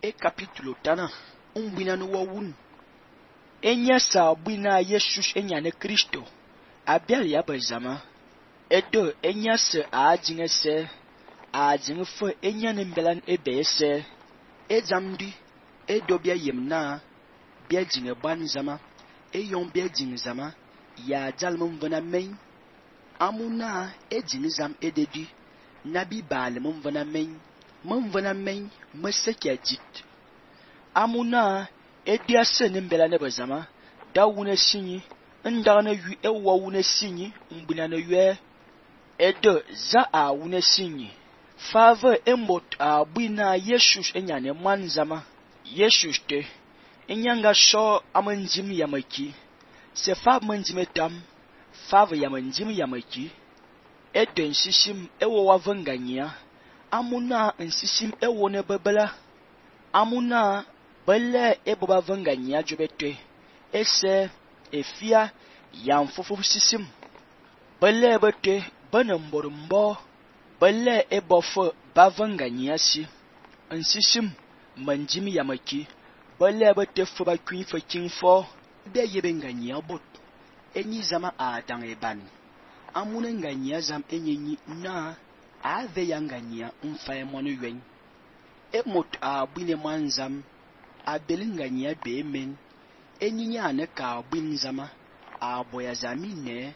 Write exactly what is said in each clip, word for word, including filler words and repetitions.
e capítulo tana umbina no wawun enya sa bwina Jesus enya ne Kristo abial ya bazama edo enya se ajinga se ajinga fo enya ne mbelan ebe se ezamdi edo bia yemna bia jinga ban zama eyon bia jing zama ya jalmum vana main amuna ejing zam ededi nabi bale mum vana main mum vana main meseke jit amuna edia se ne mbela ne bazama dawune sinyi ndana yu ewa wune sinyi mbina no yue edo za a wune sinyi fava embot a bwina Jesus enya ne man zama Jesus te enyanga sho amanjim yamaki se fa manjim etam fava yamanjim yamaki edo nsishim ewo wavanganya amuna nsishim ewo ne babala amuna bele eboba vanganya jobete ese efia yamfufu sisim bele bete banamborumbo bele ebofo bavanganya si nsishim manjim yamaki bele bete fo ba kwin fo kinfo be yebe nganya bot enyi zama a dang eban amuna nganya zam enyenyi na ave yanganya mfa emonu yen emot a bwine manzam a belinganya be men enyinya ne ka bwin zama a boya zamine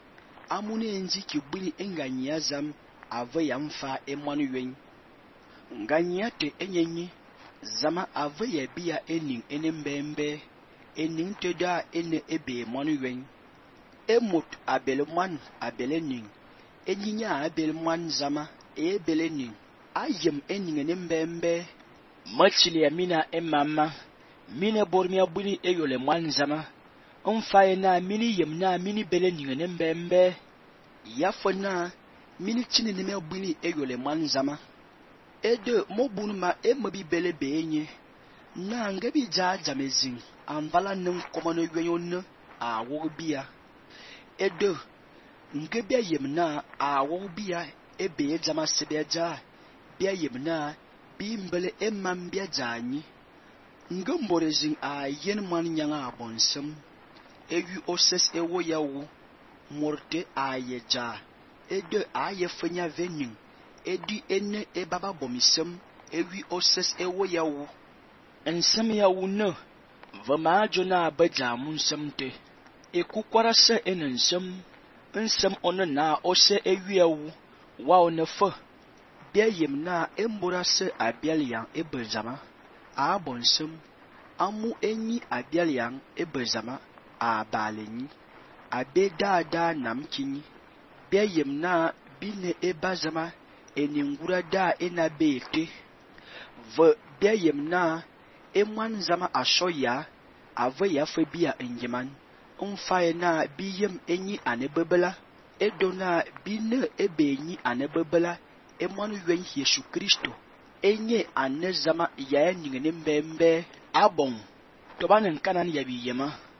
amuna enzi ki bwini enganya zam ave yamfa emonu yen nganya te enyenyi zama ave ya biya ening enembembe ening te da ene ebe monu yen emot abelman abelening enyinya abelman zama e belening ayem ening enembembe machili ya mina emama mina bormia buni eyole man zama umfaye na mini yem na mini belening enembembe yafona mini chini ne buni eyole man zama edo mobunu ma emabi bele benye na ngabi ja jamezin amvala nim komono yonyo a wobia edo ngebia yemna a wobia ebe jama sebeja bia yemna bi mbele emam bia janyi ngamborezin a yen man nyanga abonsem ewi oses ewo yawo morte ayeja edo ayefanya venin edi ene ebaba bomisem ewi oses ewo yawo ensem yawo no vama jona abaja munsem te ekukwara se enensem nsem ono na ose ewi yawo wa onefa bia yemna embora se abialian ebezama a bonsem amu enyi abialian ebezama a balenyi abe dada namkinyi bia yemna bine ebazama eningura da ena bete v bia yemna emwan zama ashoya ave ya fe bia enjeman umfaye na biyem enyi anebebela edona bine ebenyi anebebela emwanu yen Yesu Kristo enye ane zama ya nyingene mbembe abon tobanen kanan ya biyema